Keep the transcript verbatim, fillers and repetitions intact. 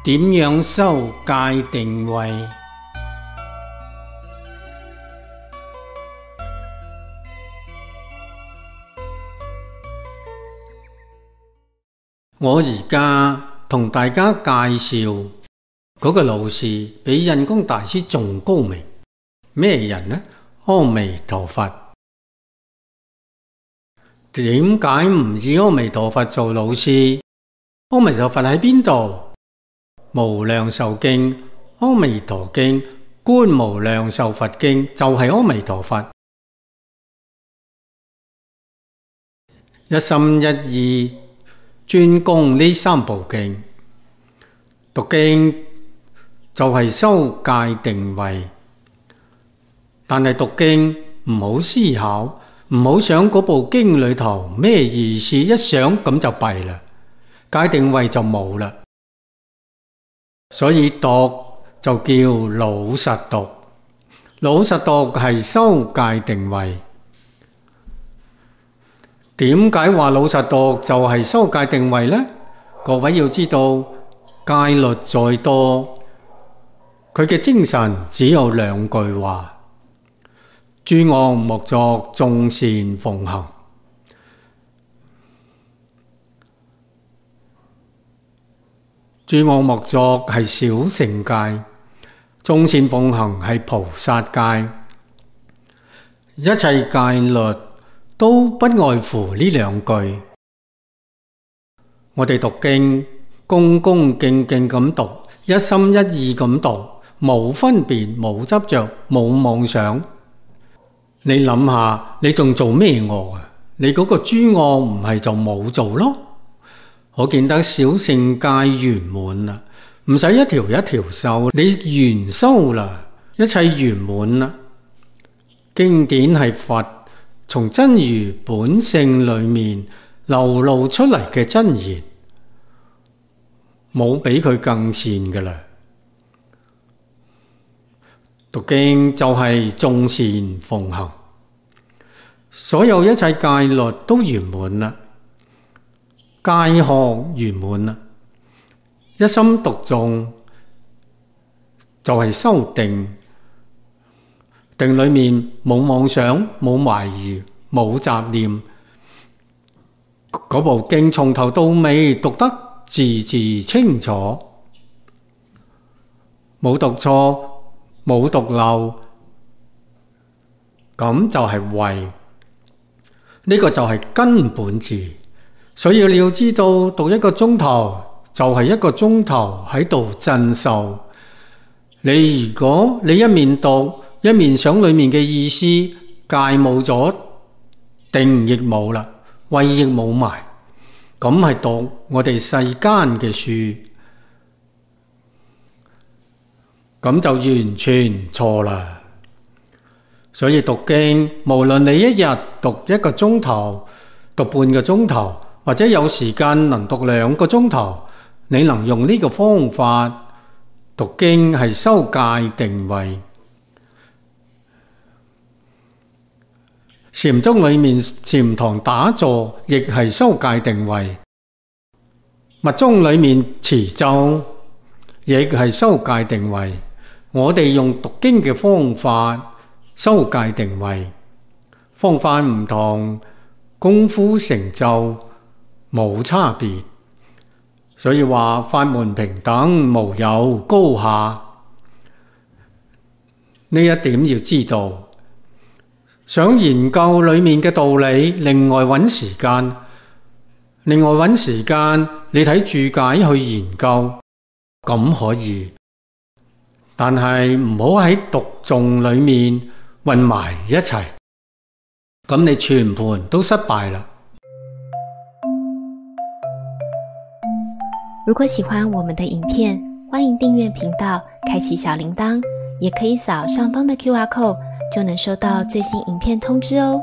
點樣修戒定慧？我而家同大家介紹嗰個老師比印光大師仲高明。咩人呢？阿彌陀佛。點解唔以阿彌陀佛做老師？阿彌陀佛喺邊度？無量壽經、阿彌陀經、觀無量壽佛經就係阿彌陀佛。一心一意專攻呢三部經，讀經就係修戒定慧。但係讀經唔好思考，唔好想嗰部經裏頭咩意思，一想咁就弊啦，戒定慧就冇啦。所以讀就叫老實讀，老實讀係修戒定慧。點解話老實讀就係修戒定慧呢？各位要知道，戒律再多，佢嘅精神只有兩句話：諸惡莫作，眾善奉行。諸惡莫作係小乘戒，眾善奉行係菩薩戒。一切戒律都不外乎呢兩句。我哋讀經，恭恭敬敬咁讀，一心一意咁讀，冇分別，冇執着，冇妄想。你諗下，你仲做咩惡啊？你嗰個諸惡唔係就冇做咯。可見得小乘戒圓滿啦，唔使一條一條修，你圓修啦，一切圓滿啦。經典係佛從真如本性裏面流露出嚟嘅真言，冇比佢更善噶啦。讀經就係眾善奉行，所有一切戒律都圓滿啦，戒學圓滿啦，一心讀誦就係修定。定裏面冇妄想，冇懷疑，冇雜念，嗰部經從頭到尾讀得字字清楚，冇讀錯，冇讀漏，咁就係慧。呢個就係根本字。所以你要知道，讀一個鐘頭就係一個鐘頭喺度鎮受。你如果你一面讀一面想裏面嘅意思，戒冇咗，定亦冇啦，慧亦冇埋，咁係讀我哋世間嘅書，咁就完全錯啦。所以讀經，無論你一日讀一個鐘頭，讀半個鐘頭，或者有時間能讀兩個鐘頭，你能用呢個方法讀經係修戒定慧。禪宗裏面禪堂打坐亦係修戒定慧，密宗裏面持咒亦係修戒定慧。我哋用讀經嘅方法修戒定慧，方法唔同，功夫成就冇差別。所以話法門平等，無有高下。呢一點要知道。想研究裏面嘅道理，另外揾時間，另外揾時間，你睇注解去研究，咁可以。但係唔好喺讀誦裏面混埋一齊，咁你全盤都失敗啦。如果喜歡我們的影片，歡迎訂閱頻道，開啟小鈴鐺，也可以掃上方的 Q R code，就能收到最新影片通知哦。